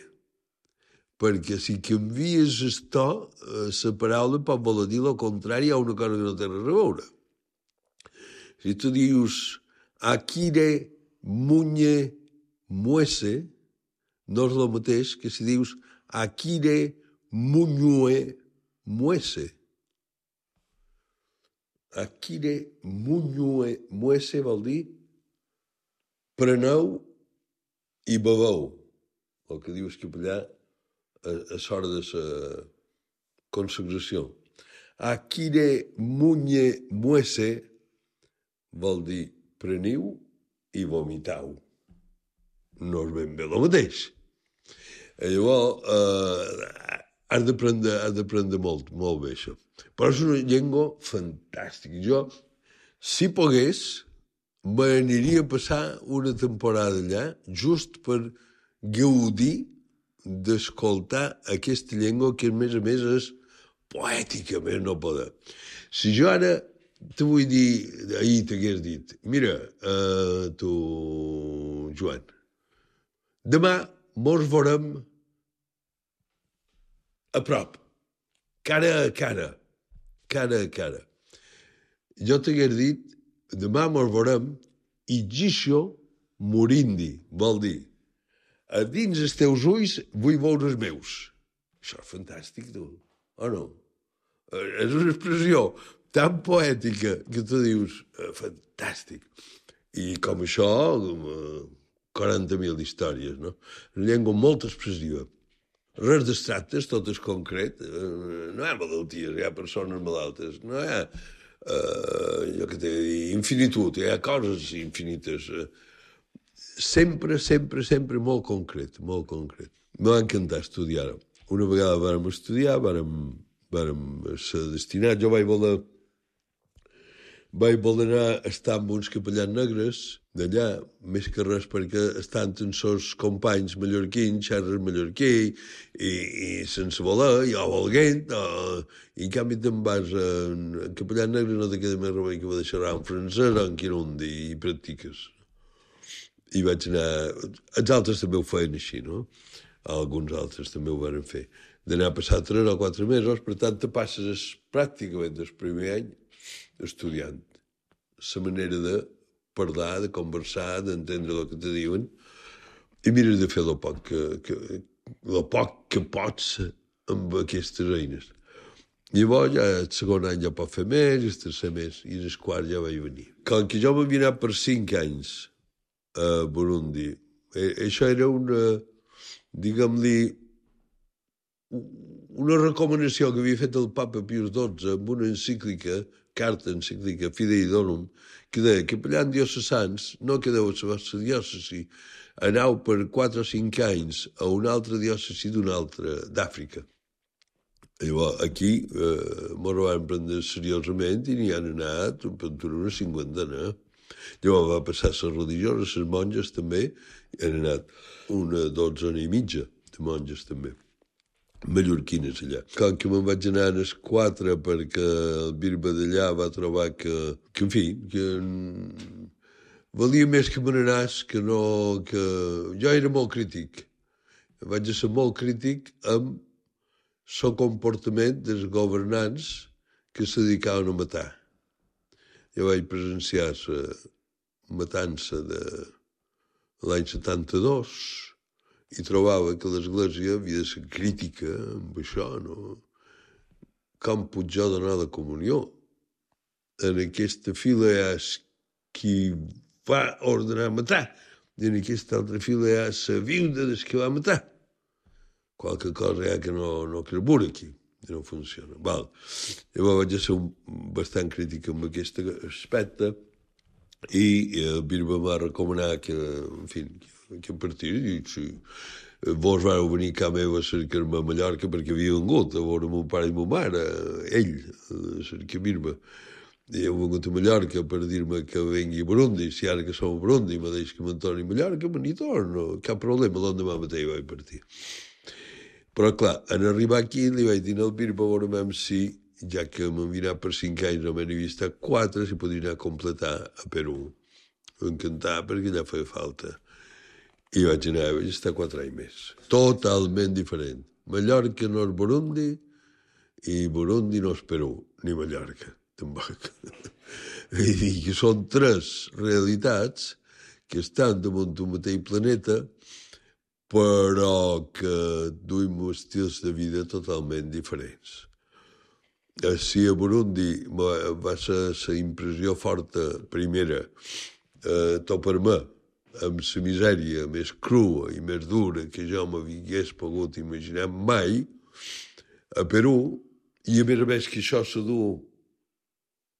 perquè si canvies el to, la paraula pot voler dir el contrari a una cosa que no té res a veure. Si tu dius Akire Muñe Muese, no és el mateix que si dius Akire Muñue Muese. Akire Muñue Muese vol dir preneu i beveu, el que diu el capellà a, a l'hora de la consagració. Akire Muñe Muese vol dir preniu i vomitau. No és ben bé el mateix. I llavors, eh, has d'aprendre, has d'aprendre molt, molt bé això. Però és una llengua fantàstica. Jo, si pogués, m'aniria a passar una temporada allà just per gaudir d'escoltar aquesta llengua que, a més a més, és poètica, més no poder. Si jo ara te vull dir, ahir t'hagués dit, mira, uh, tu, Joan, demà mos veurem a prop, cara a cara, cara a cara. Jo t'hagués dit, demà mos veurem i gixo morindi, vol dir, a dins els teus ulls vull veure els meus. Això és fantàstic, tu, o no? És una expressió tan poètica que tu dius, eh, fantàstic. I com això, eh, quaranta mil històries, no? Una llengua molt expressiva. Res d'abstractes, tot és concret. Eh, no hi ha malalties, hi ha persones malaltes. No hi ha, eh, jo què t'he de dir, infinitud, hi ha coses infinites. Eh, sempre, sempre, sempre molt concret, molt concret. M'ha encantat estudiar-ho. Una vegada vàrem estudiar, vàrem, vàrem ser destinats. Jo vaig voler, vaig voler anar a estar amb uns capellans negres d'allà, més que res perquè estan amb els seus companys mallorquins, xerres mallorquí, i, i sense voler, jo volguent, o, i en canvi te'n vas a, a capellans negres no te queda més remei que va deixar en francès o en quirundi i practiques. I vaig anar... Els altres també ho feien així, no? Alguns altres també ho van fer. D'anar a passar tres o quatre mesos, per tant, te passes pràcticament el primer any estudiant la manera de parlar, de conversar, d'entendre el que te diuen, i mires de fer el poc que, que, el poc que pots amb aquestes eines. Llavors, ja el segon any ja pot fer més, el tercer més, i el quart ja vaig venir. Com que jo m'havia anat per cinc anys a Burundi, eh, això era una, diguem-li, una recomanació que havia fet el papa Pius dotze amb una encíclica, carta encíclica Fidei Donum, que deia que capellans diocesans no quedeu a la vostra diòcesi, aneu per quatre o cinc anys a una altra diòcesi d'una altra, d'Àfrica. Llavors, aquí eh, m'ho van prendre seriosament i n'hi han anat per una cinquantena. Llavors va passar les religioses, les monges també, i han anat una dotzena i mitja de monges també, mallorquines allà. Com que me'n vaig anar a les quatre perquè el bisbe d'allà va trobar que, que en fi, que valia més que me n'anàs, que no... que jo era molt crític. Vaig ser molt crític amb el comportament dels governants que se dedicaven a matar. Jo vaig presenciar la matança de l'any setanta-dos i trobava que l'Església havia de ser crítica amb això, no? Com puc jo donar la comunió? En aquesta fila hi ha qui va ordenar matar, i en aquesta altra fila hi ha la viuda des que va matar. Qualque cosa hi ha que no, no carbura aquí, que no funciona. Val. Llavors vaig ser un, bastant crític amb aquest aspecte i el bisbe m'ha recomanat que, en fi, que a partir de si vos vau venir a casa meva a cercar-me a Mallorca perquè havia vengut a veure mon pare i mon mare, ell, a cercar-me. I heu vengut a Mallorca per dir-me que vengui a Burundi, si ara que som a Burundi me deix que me'n torni a Mallorca, me n'hi torno, cap problema, l'endemà mateix vaig partir. Però, clar, en arribar aquí li vaig dir al bisbe a veure si, ja que m'han vinat per cinc anys, només n'hi havia estat quatre, si podria anar a completar a Perú. Encantat, perquè allà feia falta. I vaig anar, vaig estar quatre anys més. Totalment diferent. Mallorca no és Burundi i Burundi no és Perú, ni Mallorca, tampoc. I dic que són tres realitats que estan damunt d'un mateix planeta, però que duim estils de vida totalment diferents. Si a Burundi va ser la impressió forta, primera, eh, topar-me amb la misèria més crua i més dura que jo m'hagués pogut imaginar mai, a Perú, i a més a més que això se du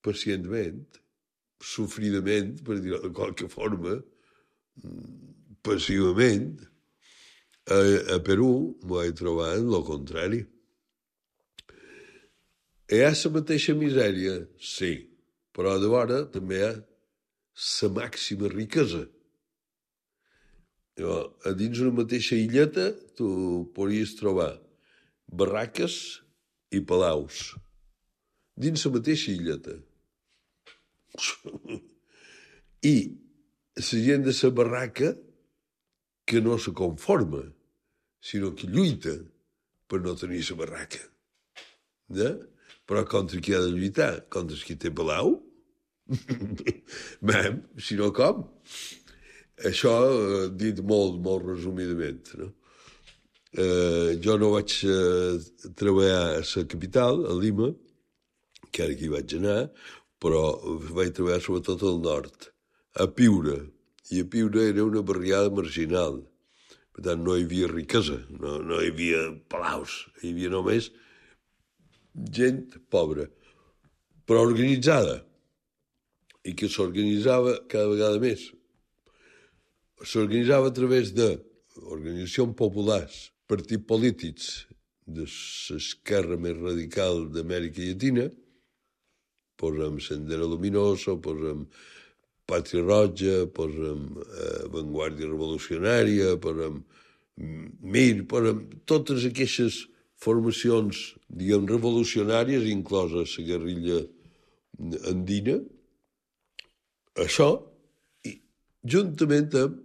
pacientment, sofridament, per dir-ho de qualque forma, passivament, a, a Perú m'ho vaig trobar en el contrari. Hi ha la mateixa misèria, sí, però de vora també hi ha la màxima riquesa. A dins una mateixa illeta tu podries trobar barraques i palaus. Dins la mateixa illeta. I la gent de la barraca que no se conforma, sinó que lluita per no tenir la barraca. Ja? Però contra qui ha de lluitar? Contra qui té palau? Mem, si no com? Això eh, dit molt, molt resumidament. No? Eh, jo no vaig eh, treballar a la capital, a Lima, que ara aquí vaig anar, però vaig treballar sobretot al nord, a Piura. I a Piura era una barriada marginal. Per tant, no hi havia riquesa, no, no hi havia palaus, hi havia només gent pobra, però organitzada, i que s'organitzava cada vegada més. S'organitzava a través d'organitzacions populars, partits polítics de l'esquerra més radical d'Amèrica Llatina, posem Sendero Luminoso, posem Pàtria Roja, posem eh, Vanguardia Revolucionària, posem Mir, posem totes aquestes formacions, diguem, revolucionàries, inclosa la guerrilla andina, això, i juntament amb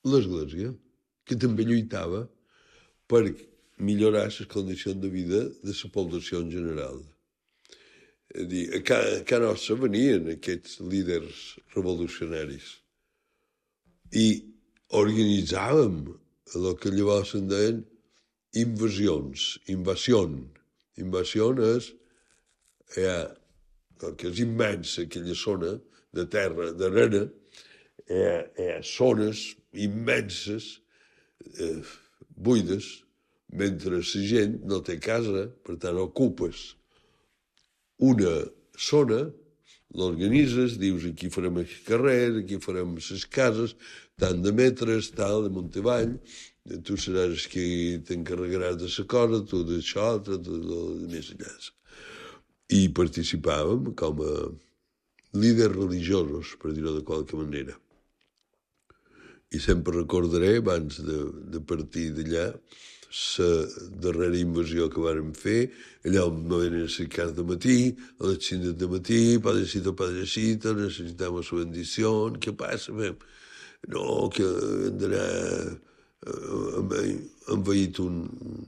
l'Església, que també lluitava per millorar les condicions de vida de la població en general. És a dir, a casa nostra venien aquests líders revolucionaris i organitzàvem el que llavors se'n deien invasions, invasió. Invasió és, ja, que és immensa aquella zona de terra, d'arena, hi ha, hi ha zones immenses, eh, buides, mentre la gent no té casa, per tant ocupes una zona, l'organitzes, dius aquí farem el carrer, aquí farem les cases, tant de metres, tal, de munt avall, tu seràs qui t'encarregaràs de la cosa, tu d'això, tu de més enllà. I participàvem com a líders religiosos, per dir-ho de qualque manera. I sempre recordaré, abans de, de partir d'allà, la darrera invasió que vàrem fer, allà on me venen a cercar de matí, a les cinc de matí, padrecito, padrecito, necessitem su bendició, què passa? No, que hem d'anar... hem veït un,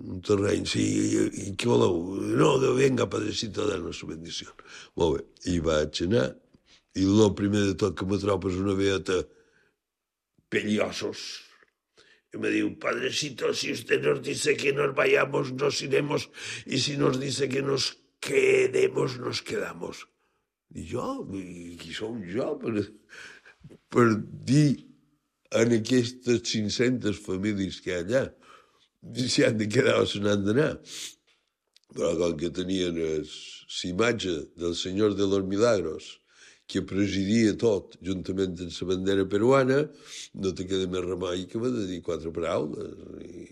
un terreny, sí, i, i què voleu? No, de venga, padrecito, dar-nos su bendició. Molt bé, i vaig anar, i el primer de tot que me trobo és una veeta pellosos. Y me dijo, padrecito, si usted nos dice que nos vayamos, nos iremos, y si nos dice que nos quedemos, nos quedamos. I jo? I qui som jo per, per dir en aquestes cinc-centes famílies que hi ha allà si han de quedar o se n'han d'anar? Però com que tenien l'imatge del Senyor de los Milagros que presidia tot, juntament amb la bandera peruana, no te queda més remei que de dir quatre paraules. I,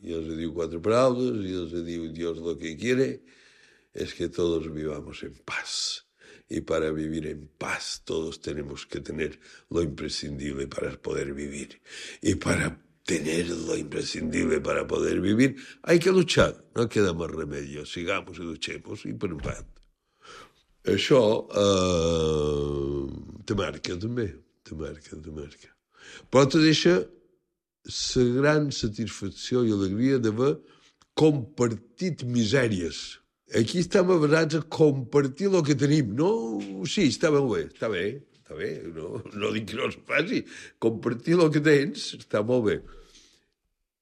i els diu quatre paraules, i els diu Dios lo que quiere, es que todos vivamos en paz. Y para vivir en paz todos tenemos que tener lo imprescindible para poder vivir. Y para tener lo imprescindible para poder vivir hay que luchar, no queda más remedio. Sigamos y luchemos y per en paz. Això eh, te marca també, te marca, te marca. Però te deixa la gran satisfacció i alegria d'haver compartit misèries. Aquí estem basats a compartir el que tenim. No, sí, està ben bé, està bé, està bé, no, no dic que no es faci. Compartir el que tens està molt bé.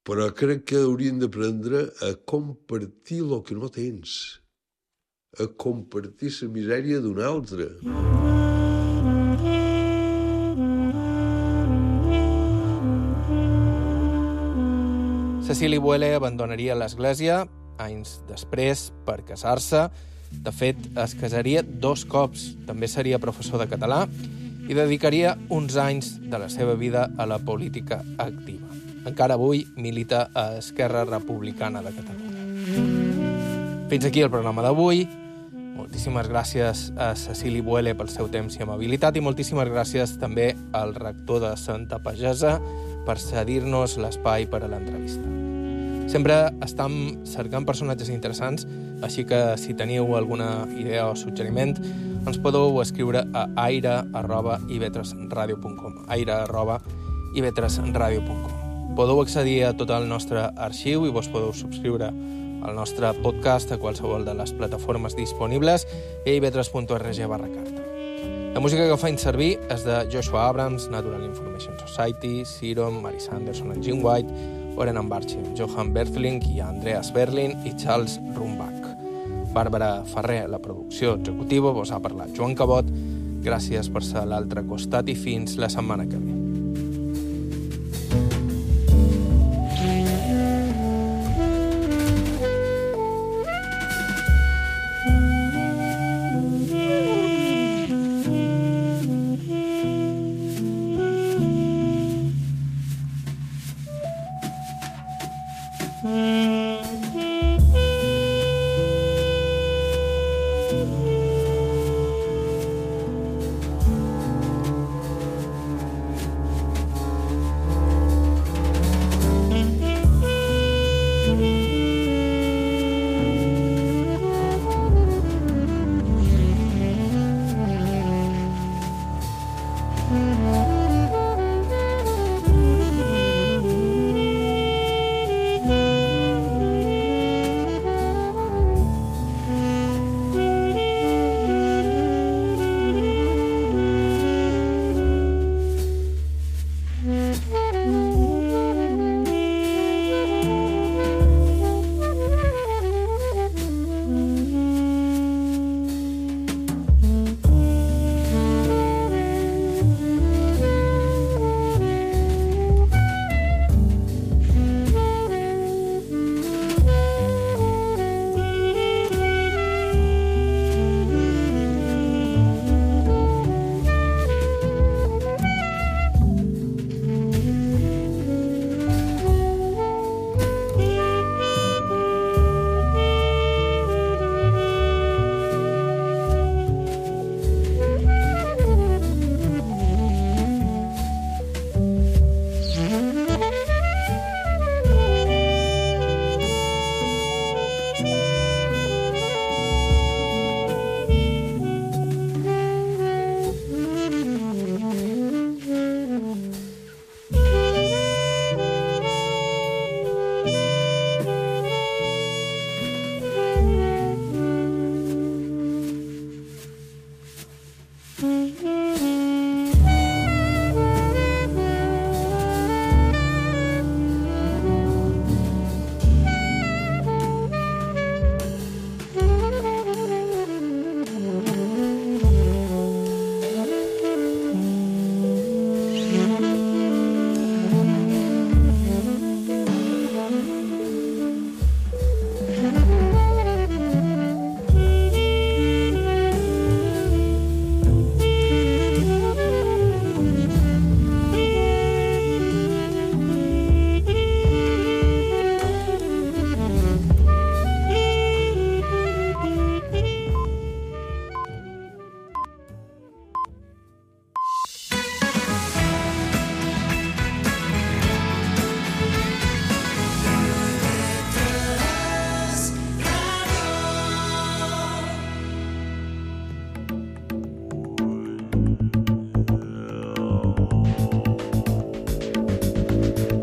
Però crec que hauríem d'aprendre a compartir el que no tens. A compartir la misèria d'un altre. Cecili Boele abandonaria l'església anys després per casar-se. De fet, es casaria dos cops. També seria professor de català i dedicaria uns anys de la seva vida a la política activa. Encara avui milita a Esquerra Republicana de Catalunya. Fins aquí el programa d'avui. Moltíssimes gràcies a Cecili Boele pel seu temps i amabilitat i moltíssimes gràcies també al rector de Santa Pagesa per cedir-nos l'espai per a l'entrevista. Sempre estem cercant personatges interessants, així que si teniu alguna idea o suggeriment ens podeu escriure a aire arroba i ve tres radio punt com aire arroba i ve tres radio punt com. Podeu accedir a tot el nostre arxiu i vos podeu subscriure al nostre podcast a qualsevol de les plataformes disponibles i a i ve tres punt org barra carta. La música que faig servir és de Joshua Abrams, Natural Information Society, Serum, Mary Sanderson and Jim White, Oren Ambarchi, Johan Berthling i Andreas Berlin i Charles Rumbach. Bàrbara Ferrer, la producció executiva, vos ha parlat Joan Cabot. Gràcies per ser a l'altre costat i fins la setmana que ve. Mm-hmm.